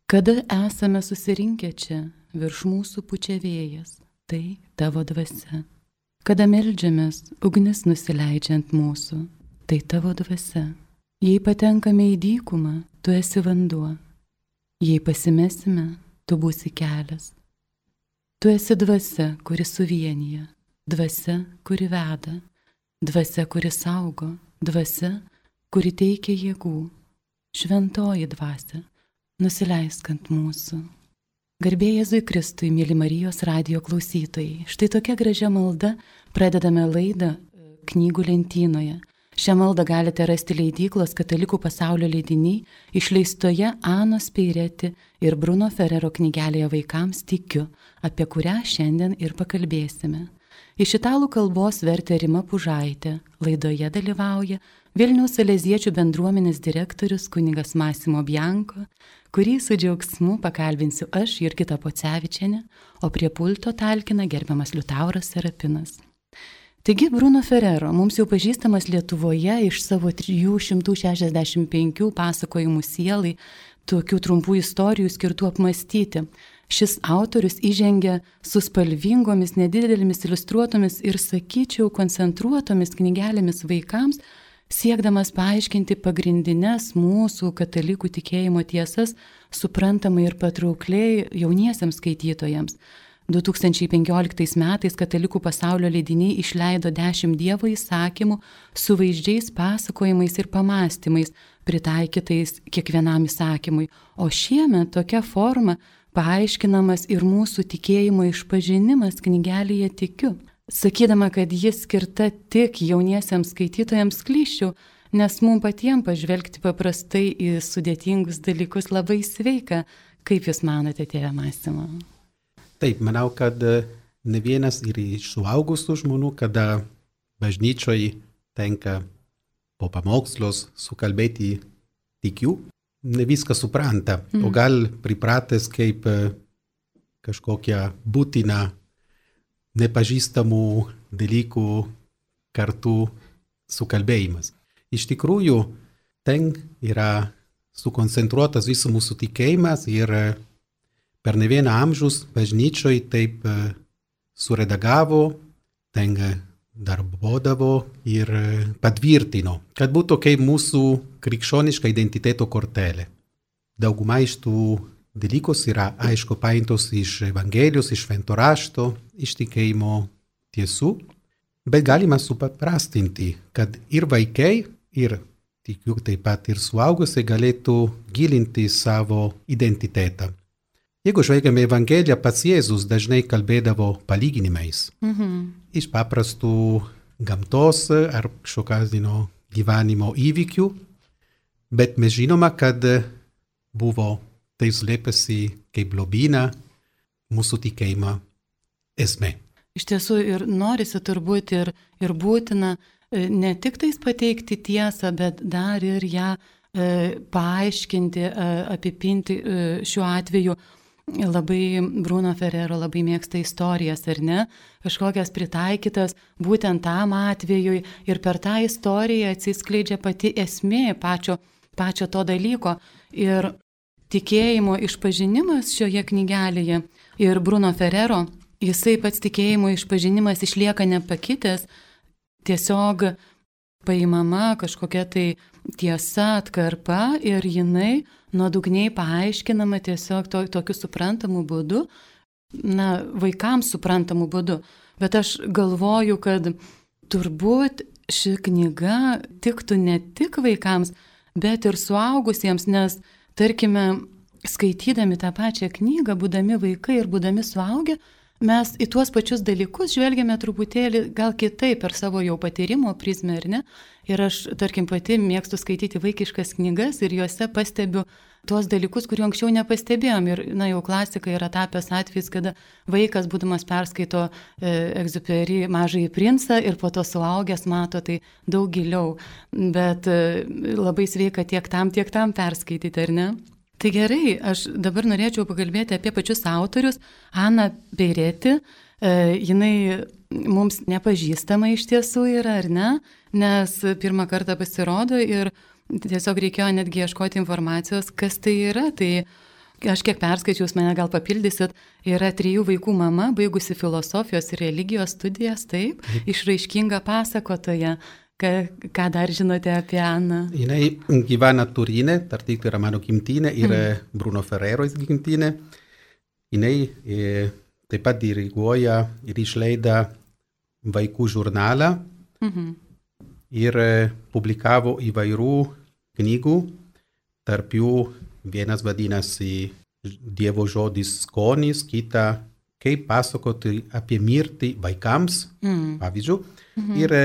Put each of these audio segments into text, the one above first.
Kada esame susirinkę čia, virš mūsų pučia vėjas, tai tavo dvasia. Kada meldžiamės, ugnis nusileidžia ant mūsų, tai tavo dvasia. Jei patenkame į dykumą, tu esi vanduo. Jei pasimesime, tu būsi kelias. Tu esi dvasia, kuri suvienyje, dvasia, kuri veda, dvasia, kuri saugo, dvasia, kuri teikia jėgų. Šventoji dvasia, nusileisk ant mūsų. Garbė Jėzui Kristui, mėly Marijos radijo klausytojai. Štai tokia gražia malda pradedame laidą knygų lentynoje. Šią maldą galite rasti leidyklos Katalikų pasaulio leidiniai išleistoje Anos Peireti ir Bruno Ferrero knygelėje Vaikams tikiu, apie kurią šiandien ir pakalbėsime. Iš italų kalbos vertė Rima Pužaitė. Laidoje dalyvauja Vilniaus Saleziečių bendruomenės direktorius kunigas Massimo Bianco, kurį su džiaugsmu pakalbinsiu aš, Jurgita Pocevičienė, o prie pulto talkina gerbiamas Liutauras Serapinas. Taigi Bruno Ferrero, mums jau pažįstamas Lietuvoje iš savo 365 pasakojimų sielai, tokių trumpų istorijų skirtų apmastyti. Šis autorius įžengia su spalvingomis, nedidelėmis iliustruotomis ir, sakyčiau, koncentruotomis knygelėmis vaikams, siekdamas paaiškinti pagrindines mūsų katalikų tikėjimo tiesas suprantamai ir patraukliai jauniesiems skaitytojams. 2015 metais Katalikų pasaulio leidiniai išleido 10 Dievo įsakymų su vaizdžiais pasakojimais ir pamastymais, pritaikytais kiekvienam įsakymui. O šiemet tokia forma paaiškinamas ir mūsų tikėjimo išpažinimas knygelėje Tikiu. Sakydama, kad jis skirta tik jauniesiems skaitytojams, klysčiau, nes mums patiems pažvelgti paprastai į sudėtingus dalykus labai sveika. Kaip Jūs manote, tėve Massimo? Taip, manau, kad ne vienas ir iš suaugusių žmonių, kada bažnyčioje tenka po pamokslos sukalbėti tikiu, ne viską supranta, o gal pripratęs kaip kažkokia būtina nepažįstamų dalykų kartu sukalbėjimas. Iš tikrųjų, ten yra sukoncentruotas visų mūsų tikėjimas ir per ne vieną amžius bažnyčioj taip suredagavo, ten darbodavo ir patvirtino, kad būtų kaip mūsų krikščioniška identiteto kortelė. Dauguma iš tų dalykų yra aišku paimtos iš Evangelijos, iš Švento rašto, iš tikėjimo tiesų, bet galima supaprastinti, kad ir vaikai, ir tikiu taip pat ir suaugusiai galėtų gilinti savo identitetą. Jeigu žvelgiame Evangeliją, pats Jėzus dažnai kalbėdavo palyginimais. Iš paprastų gamtos ar kažkokio gyvenimo įvykių, bet mes žinome, kad buvo tai slėpėsi kaip lobyna mūsų tikėjimo esmė. Iš tiesų ir norisi turbūt ir būtina ne tik tais pateikti tiesą, bet dar ir ją paaiškinti, apipinti šiuo atveju. Labai Bruno Ferrero labai mėgsta istorijas, ar ne? Kažkokias pritaikytas būtent tam atvejui ir per tą istoriją atsiskleidžia pati esmė pačio to dalyko. Ir tikėjimo išpažinimas šioje knygelėje ir Bruno Ferrero, jisai pats tikėjimo išpažinimas išlieka nepakitęs, tiesiog paimama kažkokia tai tiesa, atkarpa ir jinai nuodugniai paaiškinama tiesiog tokiu suprantamu būdu, vaikams suprantamu būdu. Bet aš galvoju, kad turbūt ši knyga tiktų ne tik vaikams, bet ir suaugusiems, nes, tarkime, skaitydami tą pačią knygą, būdami vaikai ir būdami suaugę, mes į tuos pačius dalykus žvelgiame truputėlį gal kitaip per savo jau patyrimo prizmę, ar ne? Ir aš, tarkim, pati mėgstu skaityti vaikiškas knygas ir juose pastebiu tuos dalykus, kurių anksčiau nepastebėjom. Ir, jau klasika yra tapęs atvejis, kada vaikas, būdamas perskaito Egziuperi Mažąjį princą ir po to suaugęs mato tai daug giliau. Bet labai sveika tiek tam perskaityti, ar ne? Tai gerai, aš dabar norėčiau pakalbėti apie pačius autorius. Ana Peireti, jinai mums nepažįstama iš tiesų yra, ar ne? Nes pirmą kartą pasirodo ir tiesiog reikėjo netgi ieškoti informacijos, kas tai yra. Tai Aš kiek perskaičius, mane gal papildysit, yra 3 vaikų mama, baigusi filosofijos ir religijos studijas, taip, išraiškinga pasakotoja. Ką dar žinote apie Aną? Jinai gyvena Turine, tarp tai yra mano gimtinė, ir Bruno Ferrero gimtinė. Jinai taip pat diriguoja ir išleida vaikų žurnalą ir publikavo įvairių knygų, tarp jų vienas vadinasi Dievo žodis skonis, kita kaip pasakoti apie mirtį vaikams, pavyzdžiui. Ir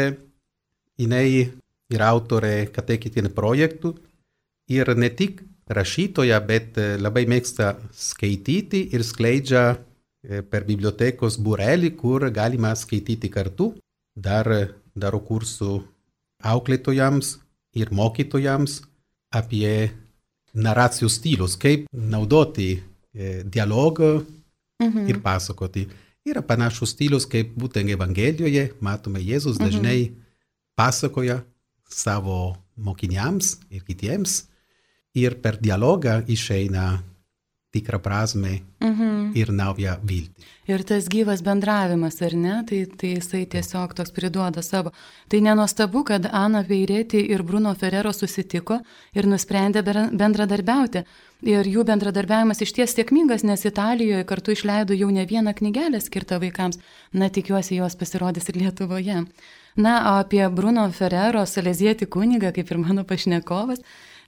jinai yra autorė kateketinių projektų ir ne tik rašytoja, bet labai mėgsta skaityti ir skleidžia per bibliotekos būrelį, kur galima skaityti kartu. Daro kursų auklėtojams ir mokytojams apie naracijų stilius, kaip naudoti dialogą ir pasakoti. Yra panašus stilius, kaip būtent Evangelijoje, matome, Jėzus dažnai pasakoja savo mokiniams ir kitiems ir per dialogą išeina tikrą prasme ir naują viltį. Ir tas gyvas bendravimas, ar ne, tai jisai tiesiog toks priduoda savo. Tai nenuostabu, kad Ana Peireti ir Bruno Ferrero susitiko ir nusprendė bendradarbiauti. Ir jų bendradarbiavimas išties sėkmingas, nes Italijoje kartu išleido jau ne vieną knygelę skirtą vaikams. Na, tikiuosi, jos pasirodys ir Lietuvoje. Na, o apie Bruno Ferrero, salezietį kunigą, kaip ir mano pašnekovas,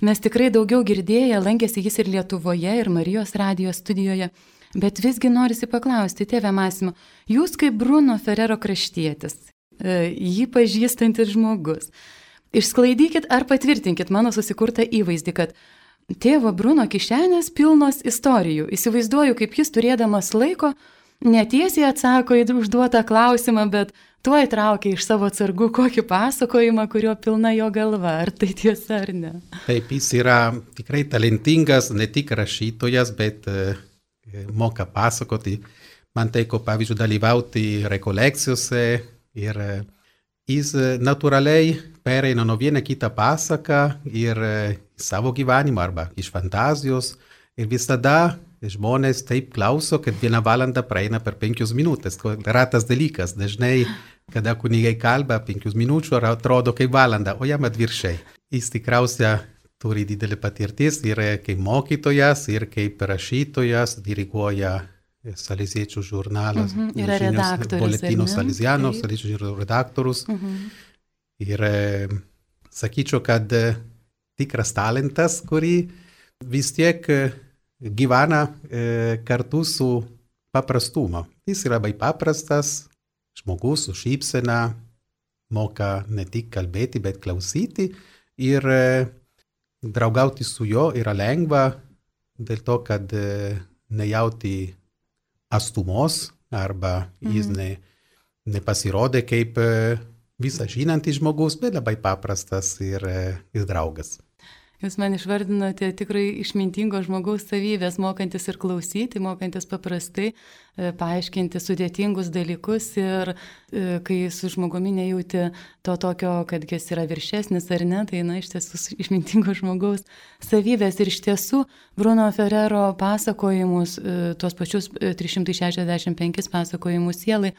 mes tikrai daugiau girdėję, lankėsi jis ir Lietuvoje, ir Marijos radijos studijoje, bet visgi norisi paklausti, tėve Masimo, jūs kaip Bruno Ferrero kraštietis, jį pažįstantis žmogus, išsklaidykit ar patvirtinkit mano susikurtą įvaizdį, kad tėvo Bruno kišenės pilnos istorijų. Įsivaizduoju, kaip jis turėdamas laiko, netiesiai atsako į užduotą klausimą, bet tuo įtraukia iš savo atsargų kokį pasakojimą, kurio pilna jo galva. Ar tai tiesa ar ne? Taip, jis yra tikrai talentingas, ne tik rašytojas, bet moka pasakoti. Man teko, pavyzdžiui, dalyvauti rekolekcijose ir jis natūraliai pereina nuo vieną kitą pasaką ir savo gyvenimą arba iš fantazijos. Ir visada žmonės taip klauso, kad 1 valanda praeina per 5 minutės. Ratas dalykas. Dažnai, kada kunigai kalba 5 minučių, atrodo kaip valanda, o jam atvirkščiai. Jis tikriausiai turi didelį patirtis ir kaip mokytojas, ir kaip rašytojas, diriguoja Saleziečių žurnalas. Yra redaktorius. Boletino Salesiano, Saleziečių redaktorius. Ir sakyčiau, kad tikras talentas, kurį vis tiek gyvena kartu su paprastumu. Jis yra labai paprastas žmogus su šypsena, moka ne tik kalbėti, bet klausyti ir draugauti su juo yra lengva dėl to, kad nejauti astumos arba jis nepasirodė kaip visą žinantis žmogus, bet labai paprastas ir draugas. Jūs man išvardinote tikrai išmintingo žmogaus savybės, mokantis ir klausyti, mokantis paprastai paaiškinti sudėtingus dalykus ir kai su žmogumi nejauti to tokio, kad jis yra viršesnis ar ne, tai iš tiesų išmintingo žmogaus savybės. Ir iš tiesų Bruno Ferrero pasakojimus, tuos pačius 365 pasakojimus sielai,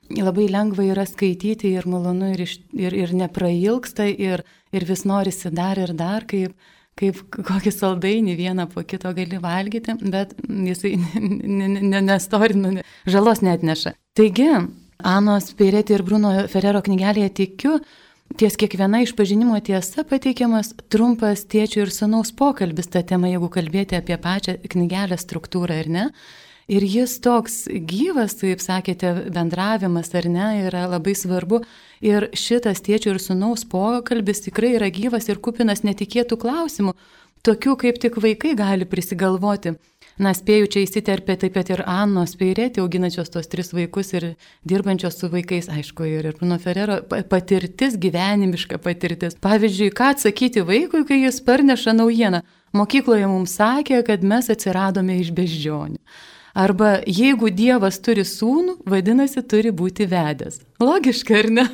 labai lengva yra skaityti ir malonu ir neprailgsta ir vis norisi dar ir dar, kaip kokį saldainį vieną po kito gali valgyti, bet jisai nestorina, žalos neatneša. Taigi, Anos Peireti ir Bruno Ferrero knygelėje tikiu, ties kiekviena išpažinimo tiesa pateikiamas trumpas tėčio ir sūnaus pokalbis tą temą, jeigu kalbėti apie pačią knygelę struktūrą ar ne. Ir jis toks gyvas, kaip sakėte, bendravimas ar ne, yra labai svarbu. Ir šitas tėčio ir sūnaus pokalbis tikrai yra gyvas ir kupinas netikėtų klausimų, tokių kaip tik vaikai gali prisigalvoti. Na, spėju, čia įsiterpė taip pat ir Anos Peireti, auginančios tos 3 vaikus ir dirbančios su vaikais, aišku, ir Bruno Ferrero patirtis, gyvenimiška patirtis. Pavyzdžiui, ką atsakyti vaikui, kai jis parneša naujieną. Mokykloje mums sakė, kad mes atsiradome iš beždžionių. Arba jeigu Dievas turi sūnų, vadinasi, turi būti vedęs. Logiška, ar ne?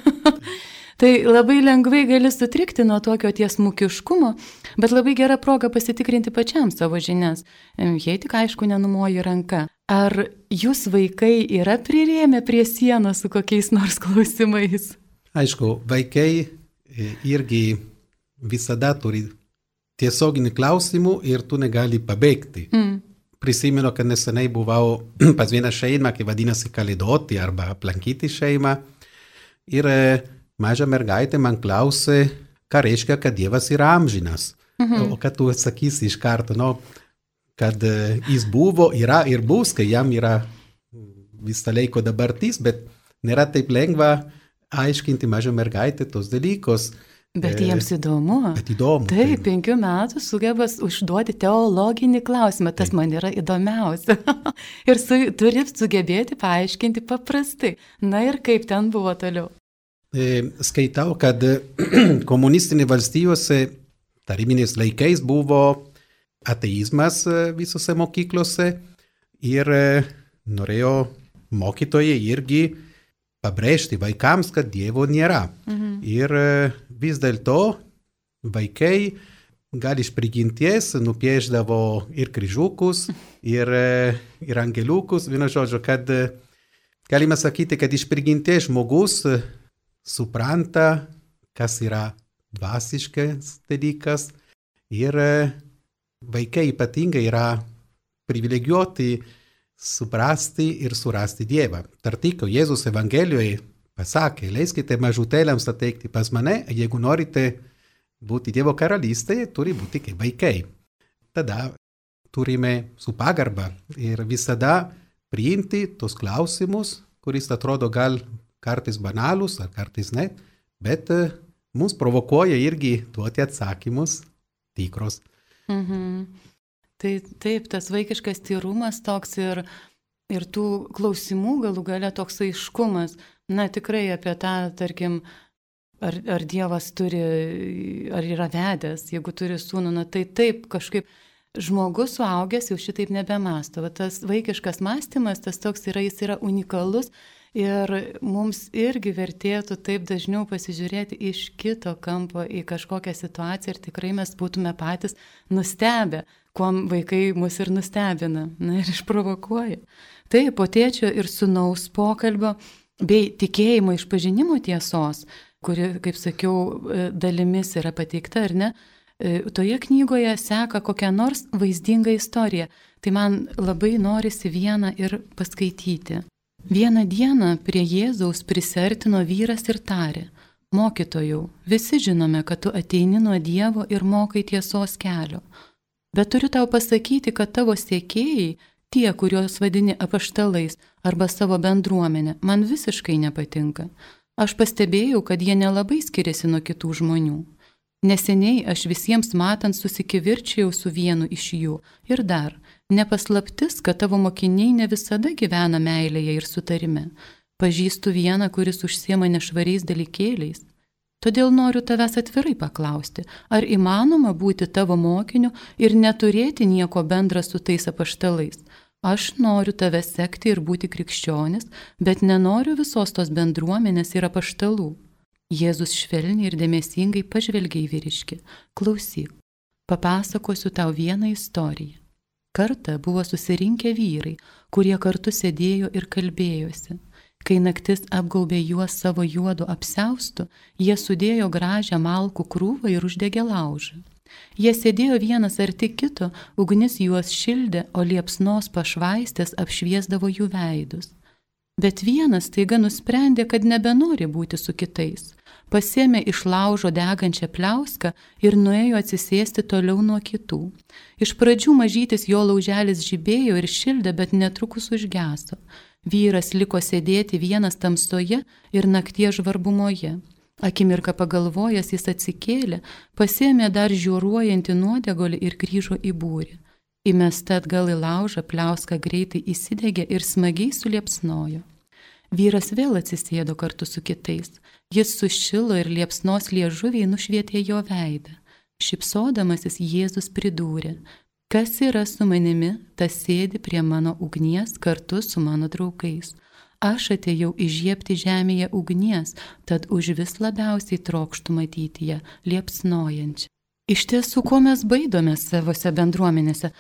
Tai labai lengvai gali sutrikti nuo tokio tiesmukiškumo, bet labai gera proga pasitikrinti pačiam savo žinias, jei tik aišku nenumoji ranka. Ar jūs vaikai yra prirėmę prie sienos su kokiais nors klausimais? Aišku, vaikai irgi visada turi tiesioginį klausimų ir tu negali pabėgti. Prisimenu, kad nesenai buvau pas vieną šeimą, kai vadinasi kalėdoti arba aplankyti šeimą. Ir maža mergaitė man klausė, ką reiškia, kad Dievas yra amžinas. O kad tu atsakysi iš karto, kad jis buvo, yra ir bus, kai jam yra visą laiko dabartis, bet nėra taip lengva aiškinti mažą mergaitę tos dalykus. Bet jiems įdomu. Bet įdomu. Taip, 5 metų sugebas užduoti teologinį klausimą, tas man yra įdomiausia. Ir turi sugebėti paaiškinti paprastai. Na ir kaip ten buvo toliau? Skaitau, kad komunistinė valstijose tarybiniais laikais buvo ateizmas visose mokyklose ir norėjo mokytojai irgi pabrėžti vaikams, kad Dievo nėra. Ir vis dėlto vaikai gal iš prigimties nupieždavo ir kryžiukus, ir angeliukus. Vienu žodžiu, kad galima sakyti, kad iš prigimties žmogus supranta, kas yra dvasiškas dalykas. Ir vaikai ypatingai yra privilegijuoti suprasti ir surasti Dievą. Tarp kitko, Jėzus Evangelijoje pasakė, leiskite mažutėliams ateiti pas mane, jeigu norite būti Dievo karalystėje, turi būti kaip vaikai. Tada turime su pagarba ir visada priimti tos klausimus, kuris atrodo gal kartais banalus ar kartais ne, bet mus provokuoja irgi duoti atsakymus tikros. Tai taip, tas vaikiškas tyrumas toks ir tų klausimų galų gale toks aiškumas. Na tikrai apie tą, tarkim, ar Dievas turi, ar yra vedęs, jeigu turi sūnų, na tai taip kažkaip žmogus suaugęs jau šitaip nebemąsto. Tas vaikiškas mąstymas, tas toks yra, jis yra unikalus ir mums irgi vertėtų taip dažniau pasižiūrėti iš kito kampo į kažkokią situaciją ir tikrai mes būtume patys nustebę, kuom vaikai mus ir nustebina, na ir išprovokuoja. Tai po tėčio ir sūnaus pokalbio bei tikėjimo išpažinimo tiesos, kuri, kaip sakiau, dalimis yra pateikta, ar ne, toje knygoje seka kokią nors vaizdingą istoriją. Tai man labai norisi vieną ir paskaityti. Vieną dieną prie Jėzaus prisiartino vyras ir tarė: Mokytojau, visi žinome, kad tu ateini nuo Dievo ir mokai tiesos kelio. Bet turiu tau pasakyti, kad tavo sekėjai, tie, kuriuos vadini apaštalais arba savo bendruomenė, man visiškai nepatinka. Aš pastebėjau, kad jie nelabai skiriasi nuo kitų žmonių. Neseniai aš visiems matant susikivirčiau su vienu iš jų. Ir dar, nepaslaptis, kad tavo mokiniai ne visada gyvena meilėje ir sutarime. Pažįstu vieną, kuris užsiema nešvariais dalykėliais. Todėl noriu tavęs atvirai paklausti, ar įmanoma būti tavo mokiniu ir neturėti nieko bendra su tais apaštalais. Aš noriu tave sekti ir būti krikščionis, bet nenoriu visos tos bendruomenės ir apaštalų. Jėzus švelniai ir dėmesingai pažvelgė į vyriškį. Klausyk, papasakosiu tau vieną istoriją. Kartą buvo susirinkę vyrai, kurie kartu sėdėjo ir kalbėjosi. Kai naktis apgaubė juos savo juodu apsiaustu, jie sudėjo gražią malkų krūvą ir uždegė laužą. Jie sėdėjo vienas arti kito, ugnis juos šildė, o liepsnos pašvaistės apšviesdavo jų veidus. Bet vienas taiga nusprendė, kad nebenori būti su kitais. Pasėmė iš laužo degančią pliauską ir nuėjo atsisėsti toliau nuo kitų. Iš pradžių mažytis jo lauželis žibėjo ir šildė, bet netrukus užgeso. Vyras liko sėdėti vienas tamsoje ir nakties žvarbumoje. Akimirką pagalvojęs jis atsikėlė, pasėmė dar žiūruojantį nuodegolį ir grįžo į būrį. Įmesta atgal į laužą, pliauska greitai įsidegė ir smagiai suliepsnojo. Vyras vėl atsisėdo kartu su kitais. Jis sušilo ir liepsnos liežuviai nušvietė jo veidą. Šypsodamasis Jėzus pridūrė: Kas yra su manimi, tas sėdi prie mano ugnies kartu su mano draugais. aš atėjau įžiebti žemėje ugnies, tad už vis labiausiai trokštų matyti ją liepsnojančią. Iš tiesų, ko mes baidomės savose bendruomenėse?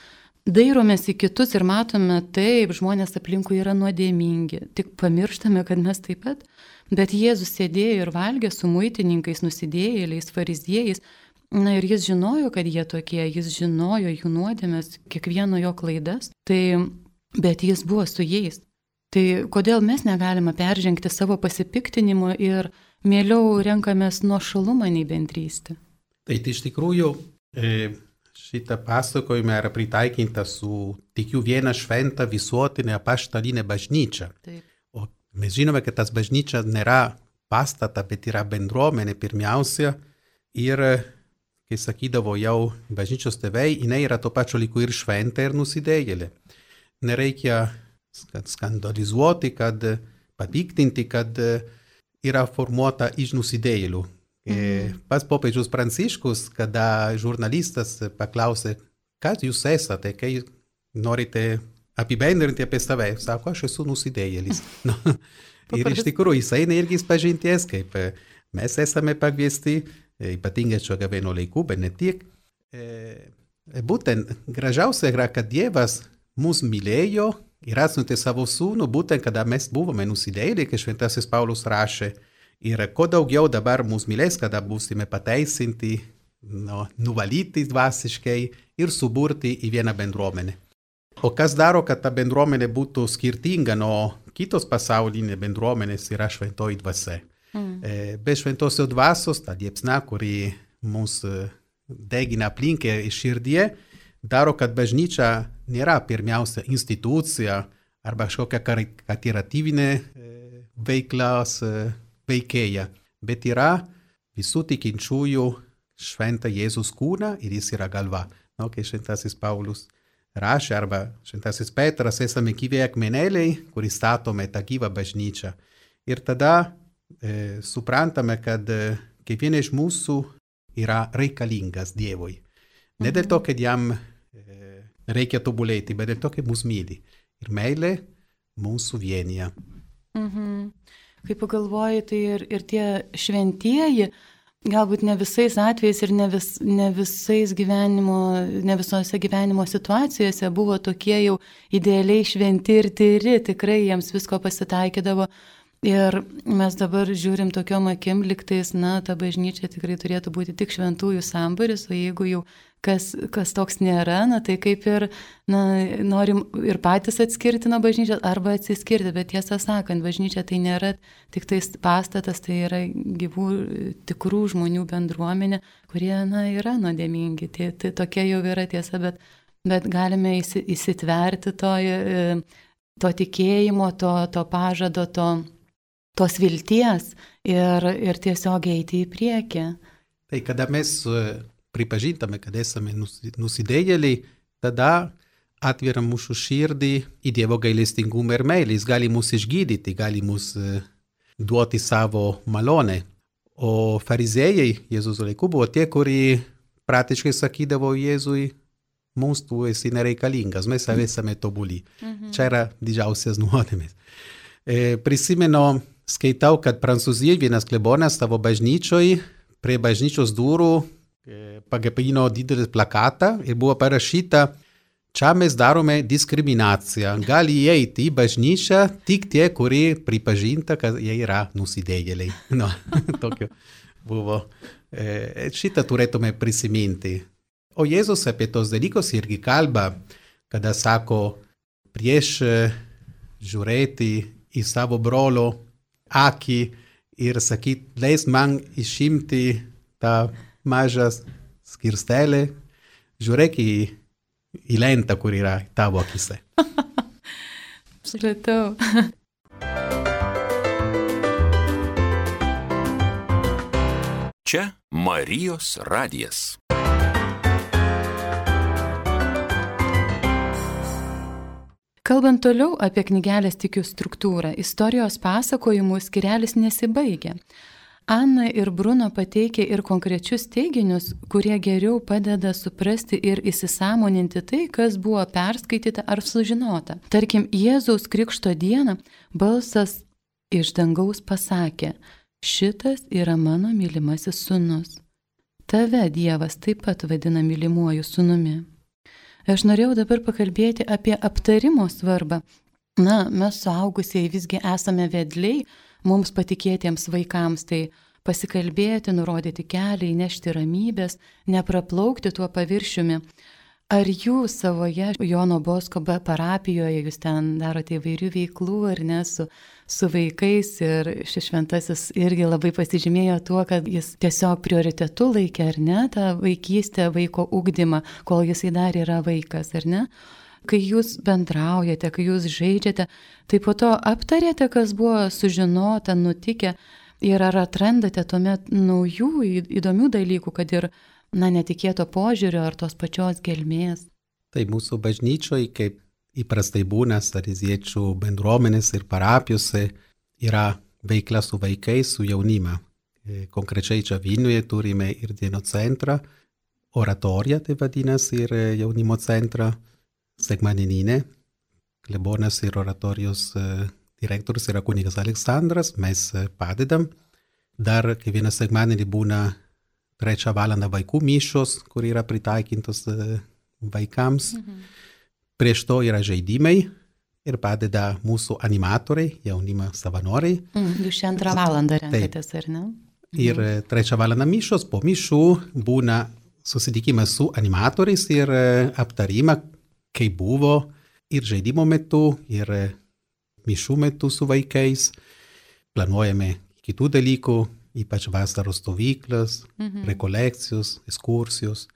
Dairomės į kitus ir matome, taip, žmonės aplinkui yra nuodėmingi, tik pamirštame, kad mes taip pat. Bet Jėzus sėdėjo ir valgė su muitininkais, nusidėjėliais, fariziejais. Na ir jis žinojo, kad jie tokie, jis žinojo jų nuodėmes, kiekvieno jo klaidas, bet jis buvo su jais. Tai kodėl mes negalime peržengti savo pasipiktinimo ir mieliau renkamės nuošalumą nei bendrystę? Tai iš tikrųjų šitą pasakojimą yra pritaikinta su tikiu vieną šventą visuotinę apaštalinę bažnyčią. Taip. O mes žinome, kad tas bažnyčia nėra pastata, bet yra bendruomenė pirmiausia. Ir, kai sakydavo jau bažnyčios tėvai, jinai yra tuo pačiu laiku ir šventė, ir nusidėjėlė. Nereikia skandalizuoti, kad papiktinti, kad yra formuota iš nusidėjėlių. Pats popiežius Pranciškus, kada žurnalistas paklausė, kas jūs esate, kai norite apibendrinti apie save, sako, aš esu nusidėjėlis. Ir iš tikrųjų, jis eina irgi pažinties, kaip mes esame pakviesti, ypatingai šio gavėno laikų, bet ne tik. Būtent gražiausia yra, kad Dievas mus mylėjo ir atsiuntė savo sūnų, būtent kada mes buvome nusidėjėliai, kai šventasis Paulius rašė. Ir kuo daugiau dabar mus mylės, kada būsime pateisinti, nuvalyti dvasiškai ir suburti į vieną bendruomenę. O kas daro, kad ta bendruomenė būtų skirtinga nuo kitos pasaulinės bendruomenės, yra šventoji dvasia. Be šventosios dvasios, ta liepsna, kuri mus degina aplinkę ir širdie, daro, kad bažnyčia nėra pirmiausia institucija arba kažkokia karitatyvinė veiklos veikėja, bet yra visų tikinčiųjų šventą Jėzus kūną ir jis yra galva. Kai šventasis Paulius rašė, arba šventasis Petras, esame gyvi akmenėliai, kurį statome tą gyvą bažnyčią. Ir tada suprantame, kad kiekvienas iš mūsų yra reikalingas Dievui. Ne dėl to, kad jam reikia tobulėti, bet dėl to, kad mus myli. Ir meilė mūsų vienyje. Kai pagalvoji, tai ir tie šventieji, galbūt ne visais atvejais ir ne visose gyvenimo situacijose buvo tokie jau idealiai šventi ir tyri, tikrai jiems visko pasitaikydavo. Ir mes dabar žiūrim tokiom akim, liktais, ta bažnyčia tikrai turėtų būti tik šventųjų samburis, o jeigu jau kas toks nėra, tai kaip ir norim ir patys atskirti nuo bažnyčios arba atsiskirti, bet tiesą sakant, bažnyčia tai nėra tik tais pastatas, tai yra gyvų, tikrų žmonių bendruomenė, kurie, yra nuodėmingi. Tai tokia jau yra tiesa, bet galime įsitverti to tikėjimo, to pažado, tos vilties ir tiesiog eiti į priekį. Tai kada mes pripažintame, kad esame nusidėjėliai, tada atveram mūsų širdį į Dievo gailestingumą ir meilę. Jis gali mus išgydyti, gali mus duoti savo malonę. O fariziejai Jėzus laiku buvo tie, kurie praktiškai sakydavo Jėzui, mums tu esi nereikalingas, mes esame tobuli. Čia yra didžiausias nuodėmės. Prisimenu, skaitau, kad Prancūzijoje vienas klebonas savo bažnyčioj prie bažnyčios durų pagapino didelį plakatą ir buvo parašyta, čia mes darome diskriminaciją. Gali įeiti į bažnyčią tik tie, kurie pripažinta, kad jie yra nusidėjėliai. Tokio buvo. Šitą turėtume prisiminti. O Jėzus apie tos dalykus irgi kalba, kada sako, prieš žiūrėti į savo brolio akį ir sakyti, leis man išimti tą mažą skirstelę, žiūrėk į lentą, kur yra tavo akise. Supratau. Čia Marijos radijas. Kalbant toliau apie knygelės Tikiu struktūrą, istorijos pasakojimų skirelis nesibaigia. Ana ir Bruno pateikia ir konkrečius teiginius, kurie geriau padeda suprasti ir įsisąmoninti tai, kas buvo perskaityta ar sužinota. Tarkim, Jėzaus Krikšto dieną balsas iš dangaus pasakė: šitas yra mano mylimasis sūnus. Tave Dievas taip pat vadina mylimuoju sūnumi. Aš norėjau dabar pakalbėti apie aptarimo svarbą. Mes suaugusieji visgi esame vedliai, mums patikėtiems vaikams, tai pasikalbėti, nurodyti kelią, įnešti ramybės, nepraplaukti tuo paviršiumi. Ar jūs savoje Jono Bosko parapijoje, jūs ten darote įvairių veiklų, ar ne, su vaikais, ir šis šventasis irgi labai pasižymėjo tuo, kad jis tiesiog prioritetu laikė, ar ne, tą vaikystę, vaiko ugdymą, kol jisai dar yra vaikas, ar ne? Kai jūs bendraujate, kai jūs žaidžiate, tai po to aptarėte, kas buvo sužinota, nutikę, ir ar atrandate tuomet naujų, įdomių dalykų, kad ir netikėto požiūrio ar tos pačios gelmės. Tai mūsų bažnyčioje, kaip įprastai būna saleziečių bendruomenės ir parapijose, yra veikla su vaikais, su jaunima. Konkrečiai čia Vilniuje turime ir dienos centrą, oratoriją, tai vadinasi, ir jaunimo centrą, sekmadieninę. Klebonas ir oratorijos direktorius yra kunigas Aleksandras, mes padedam. Dar kiekvieną sekmadienį būna 3 valandą vaikų mišios, kur yra pritaikintos vaikams. Prieš to yra žaidimai ir padeda mūsų animatoriai, jaunimo savanoriai. Jūs 2 valandą renkatės, ar ne? Ir 3 valandą mišios, po mišių būna susitikimas su animatoriais ir aptarima, kaip buvo ir žaidimo metu, ir mišių metu su vaikais. Planuojame kitų dalykų, ypač vasaros stovyklas, rekolekcijos, ekskursijos.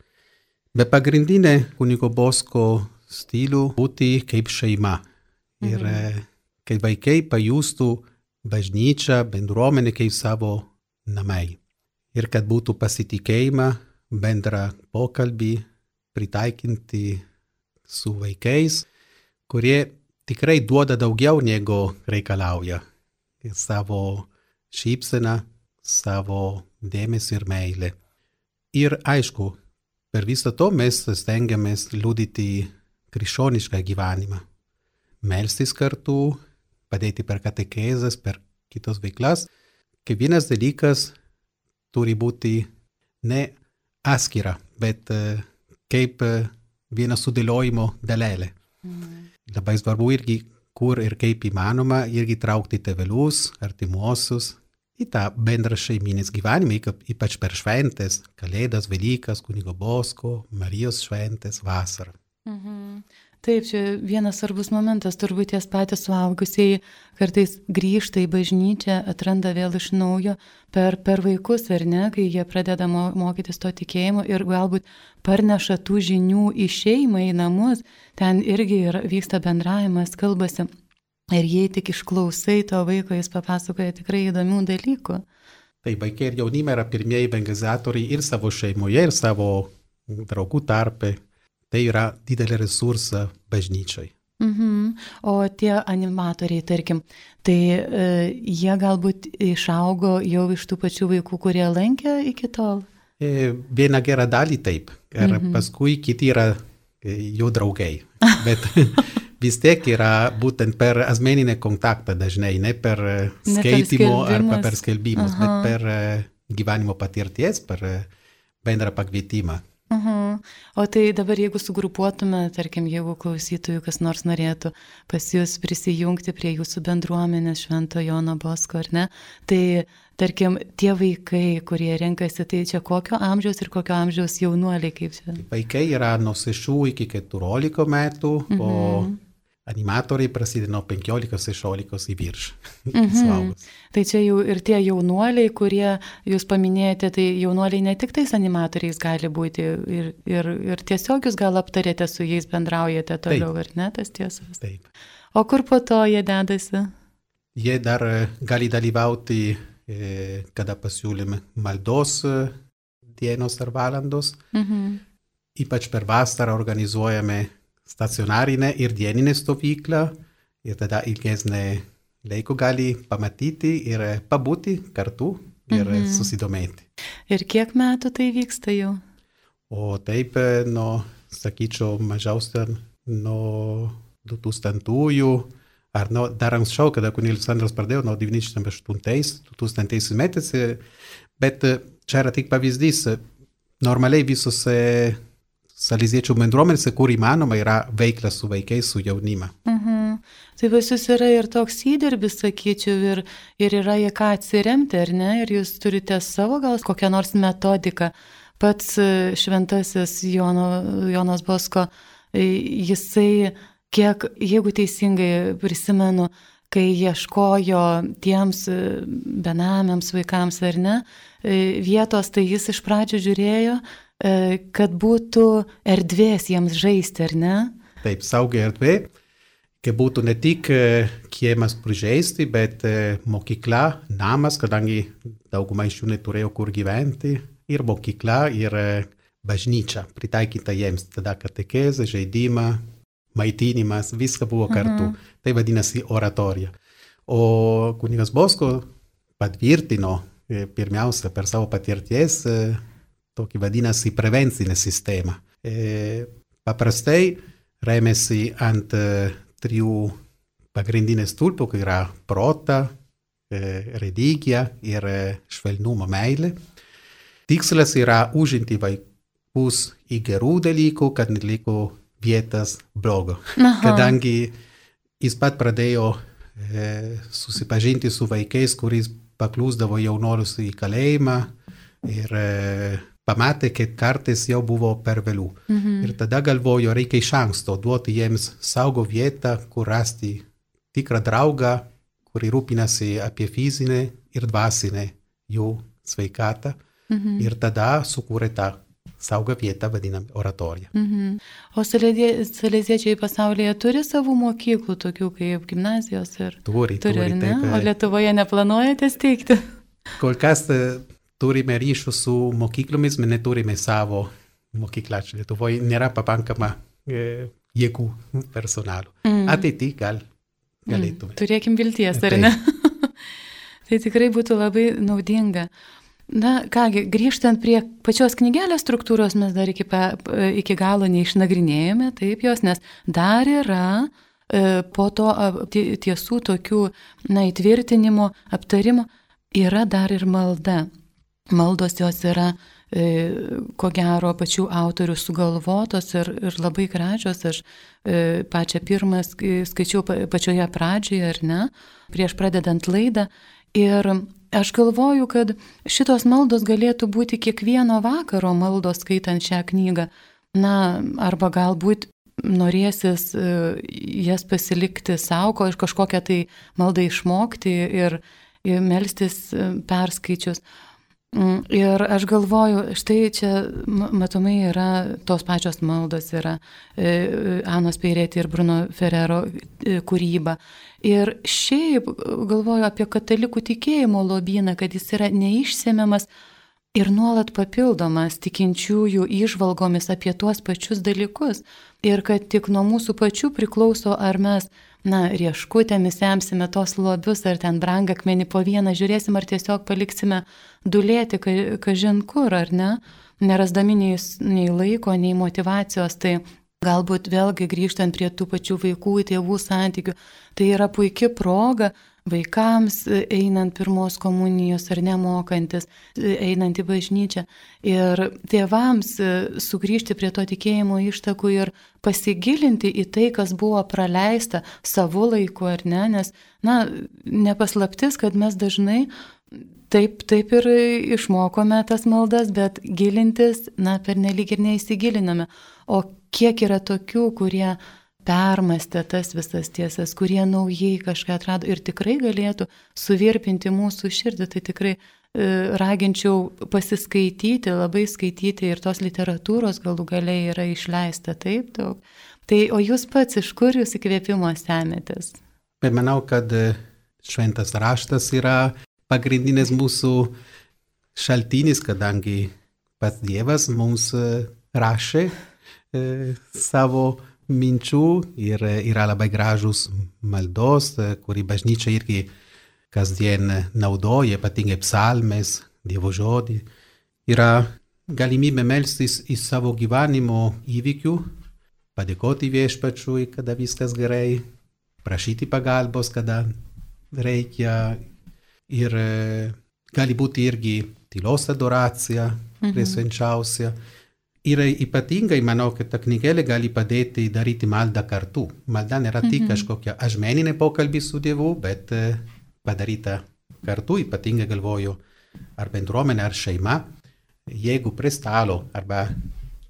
Bet pagrindinė kunigo Bosko stilių būti kaip šeima. Ir kad vaikai pajustų bažnyčią, bendruomenę kaip savo namai. Ir kad būtų pasitikėjimą, bendrą pokalbį, pritaikinti su vaikais, kurie tikrai duoda daugiau negu reikalauja. Ir savo šypseną, savo dėmesį ir meilę. Ir aišku, per visą to mes stengiamės liudyti krikščionišką gyvenimą. Melstis kartu, padėti per katekezes, per kitos veiklas. Kiekvienas dalykas turi būti ne atskira, bet kaip viena sudėliojimo dalelė. Labai svarbu irgi, kur ir kaip įmanoma, irgi traukti tėvelius, artimuosius į tą bendrą šeiminės gyvenimą, ypač per šventės, Kalėdas, Velykas, kunigo Bosko, Marijos šventės, vasarą. Taip, čia vienas svarbus momentas, turbūt ties patys suaugusieji kartais grįžta į bažnyčią, atranda vėl iš naujo per vaikus, ar ne, kai jie pradeda mokytis to tikėjimo ir galbūt parneša tų žinių į šeimą, į namus, ten irgi vyksta bendravimas, kalbasi. Ir jei tik išklausai to vaiko, jis papasakoja tikrai įdomių dalykų. Tai vaikai ir jaunimai yra pirmieji evangelizatoriai ir savo šeimoje, ir savo draugų tarpe. Tai yra didelė resursa bažnyčiai. O tie animatoriai, tarkim, tai jie galbūt išaugo jau iš tų pačių vaikų, kurie lankė iki tol? Viena gera dalį taip. Ir paskui kiti yra jų draugai. Bet vis tiek yra būtent per asmeninį kontaktą dažnai, ne per skaitimo arba per skelbimus, bet per gyvenimo patirties, per bendrą pakvietimą. O tai dabar jeigu sugrupuotume, tarkim, jeigu klausytojų kas nors norėtų pas jūs prisijungti prie jūsų bendruomenės Švento Jono Bosko, ar ne, tai tarkim, tie vaikai, kurie renkasi, tai čia kokio amžiaus ir kokio amžiaus jaunuoliai kaip čia? Vaikai yra nuo 6 iki 14 metų, o animatoriai prasideda nuo 15-16 į virš. Tai čia jau ir tie jaunuoliai, kurie jūs paminėjote, tai jaunuoliai ne tik tais animatoriais gali būti ir tiesiog jūs gal aptarėte su jais, bendraujate toliau, ar ne, tas tiesas? Taip. O kur po to jie dedasi? Jie dar gali dalyvauti, kada pasiūlėme maldos dienos ar valandos. Ypač per vasarą organizuojame stacionarinę ir dieninę stovyklą ir tada ilgesnę laiko gali pamatyti ir pabūti kartu ir susidomėti. Ir kiek metų tai vyksta jau? O taip, sakyčiau, mažiausia nuo 2000-ųjų, ar dar anksčiau, kada kunigas Andrius pradėjo, nuo 1998-2000 metais, bet čia yra tik pavyzdys. Normaliai visose saleziečių bendruomenėse, kur įmanoma, yra veikla su vaikais, su jaunima. Tai pas jūs yra ir toks įdirbis, sakyčiau, ir yra į ką atsiremti, ar ne? Ir jūs turite savo gal kokią nors metodiką. Pats šventasis Jonas Bosko, jisai, kiek, jeigu teisingai prisimenu, kai ieškojo tiems benamiams vaikams, ar ne, vietos, tai jis iš pradžių žiūrėjo, kad būtų erdvės jiems žaisti, ar ne? Taip, saugi erdvė, kad būtų ne tik kiemas prižaisti, bet mokykla, namas, kadangi dauguma iš jų neturėjo kur gyventi, ir mokykla, ir bažnyčia pritaikyta jiems, tada katekezė, žaidimą, maitinimas, viską buvo kartu. Tai vadinasi oratorija. O kunigas Bosko patvirtino pirmiausia per savo patirties tokį vadinasi prevencinę sistemą. Paprastai remiasi ant 3 pagrindinės stulpų, kai yra prota, religija ir švelnumo meilė. Tikslas yra užimti vaikus į gerų dalykų, kad neliko vietas blogo. Kadangi jis pat pradėjo susipažinti su vaikais, kuris paklusdavo jaunuolius į kalėjimą ir pamatė, kad kartais jau buvo per vėlų. Ir tada galvojo, reikia iš anksto duoti jiems saugo vietą, kur rasti tikrą draugą, kuri rūpinasi apie fizinę ir dvasinę jų sveikatą. Ir tada sukūrė tą saugą vietą, vadinam, oratoriją. O saleziečiai pasaulyje turi savų mokyklų, tokių kaip gimnazijos? Turi, ne? Taip. O Lietuvoje neplanuojate steigti? Kol kas turime ryšių su mokyklomis, bet neturime savo mokyklą. Lietuvoje nėra pakankama jėgų personalo. Ateity galėtume. Turėkim vilties, ar ne? Tai tikrai būtų labai naudinga. Na, kągi, grįžtant prie pačios knygelės struktūros, mes dar iki galo neišnagrinėjome, taip jos, nes dar yra po to tiesų tokių, įtvirtinimo, aptarimo, yra dar ir malda. Maldos jos yra, ko gero, pačių autorių sugalvotos ir labai gražios. Aš pačią pirmą skaičiau pačioje pradžioje, ar ne, prieš pradedant laidą. Ir aš galvoju, kad šitos maldos galėtų būti kiekvieno vakaro maldos skaitant šią knygą. Na, arba galbūt norėsis jas pasilikti savo, kažkokią tai maldą išmokti ir melstis perskaičius. Ir aš galvoju, štai čia matomai yra tos pačios maldos, yra Anos Peirėti ir Bruno Ferrero kūryba. Ir šiaip galvoju apie katalikų tikėjimo lobyną, kad jis yra neišsemiamas ir nuolat papildomas tikinčiųjų įžvalgomis apie tuos pačius dalykus. Ir kad tik nuo mūsų pačių priklauso, ar mes, rieškutėmis semsime tos lobius, ar ten brangakmenį po vieną žiūrėsim, ar tiesiog paliksime dulėti kažin kur, ar ne, nerasdami nei laiko, nei motyvacijos. Tai galbūt vėlgi grįžtant prie tų pačių vaikų, tėvų santykių, tai yra puikia proga vaikams einant pirmos komunijos ar nemokantis, einant į bažnyčią. Ir tėvams sugrįžti prie to tikėjimo ištakų ir pasigilinti į tai, kas buvo praleista savo laiku, ar ne, nes, nepaslaptis, kad mes dažnai taip ir išmokome tas maldas, bet gilintis, pernelyg ir neįsigiliname. O kiek yra tokių, kurie permastė tas visas tiesas, kurie naujai kažką atrado ir tikrai galėtų suvirpinti mūsų širdį. Tai tikrai raginčiau pasiskaityti, labai skaityti ir tos literatūros galų galiai yra išleista taip daug. Tai o jūs pats, iš kur jūs įkvėpimo semėtės? Manau, kad šventas raštas yra pagrindinis mūsų šaltinis, kadangi pats Dievas mums rašė savo minčių ir yra labai gražus maldos, kurį bažnyčia irgi kasdien naudoja, ypatingai psalmės, Dievo žodį. Yra galimybė melstis į savo gyvenimo įvykių, padėkoti viešpačiui, kada viskas gerai, prašyti pagalbos, kada reikia. Ir gali būti irgi tylos adoracija, prie švenčiausia. Ir ypatingai manau, kad ta knygelė gali padėti daryti maldą kartu. Malda nėra tik kažkokia asmeninė pokalbį su Dievu, bet padaryta kartu, ypatingai galvoju, ar bendruomenė, ar šeima. Jeigu prie stalo, arba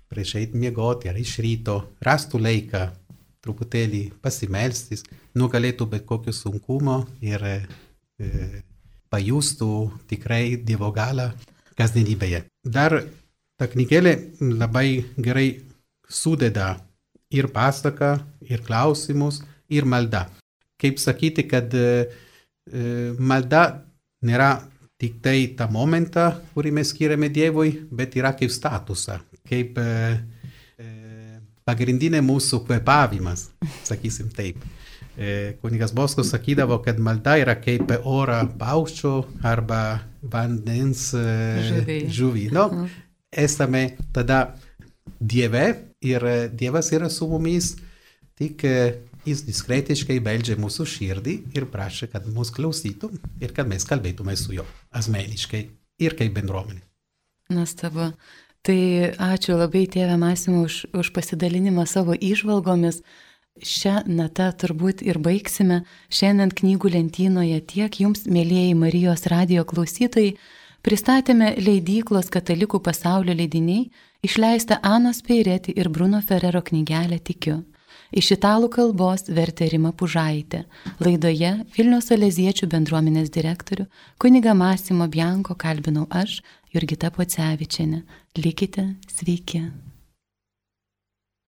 prieš eit miegoti, ar iš ryto, rastų laiką truputėlį pasimelstis, nugalėtų bet kokio sunkumo ir pajustų tikrai Dievo galą kasdienybėje. Dar ta knygelė labai gerai sudeda ir pasaką, ir klausimus, ir maldą. Kaip sakyti, kad malda nėra tik tai tą momentą, kurį mes skiriame Dievui, bet yra kaip statusą, kaip pagrindinė mūsų kvepavimas, sakysim taip. Kunigas Boskus sakydavo, kad malda yra kaip oro paukščio arba vandens žuvį. No, esame tada Dieve ir Dievas yra su mumis, tik jis diskretiškai beldžia mūsų širdį ir prašė, kad mus klausytų ir kad mes kalbėtume su juo asmeniškai ir kaip bendruomenė. Nuostabu. Tai ačiū labai tėve Masimo už pasidalinimą savo įžvalgomis. Šią natą turbūt ir baigsime. Šiandien knygų lentynoje tiek jums, mėlieji Marijos radijo klausytojai, pristatėme leidyklos Katalikų pasaulio leidiniai, išleista Anos Peireti ir Bruno Ferrero knygelę Tikiu. Iš italų kalbos vertė Rima Pužaitė. Laidoje Vilniaus Saleziečių bendruomenės direktorių kunigą Masimo Bianco kalbinau aš, Jurgita Pocevičienė. Likite sveiki.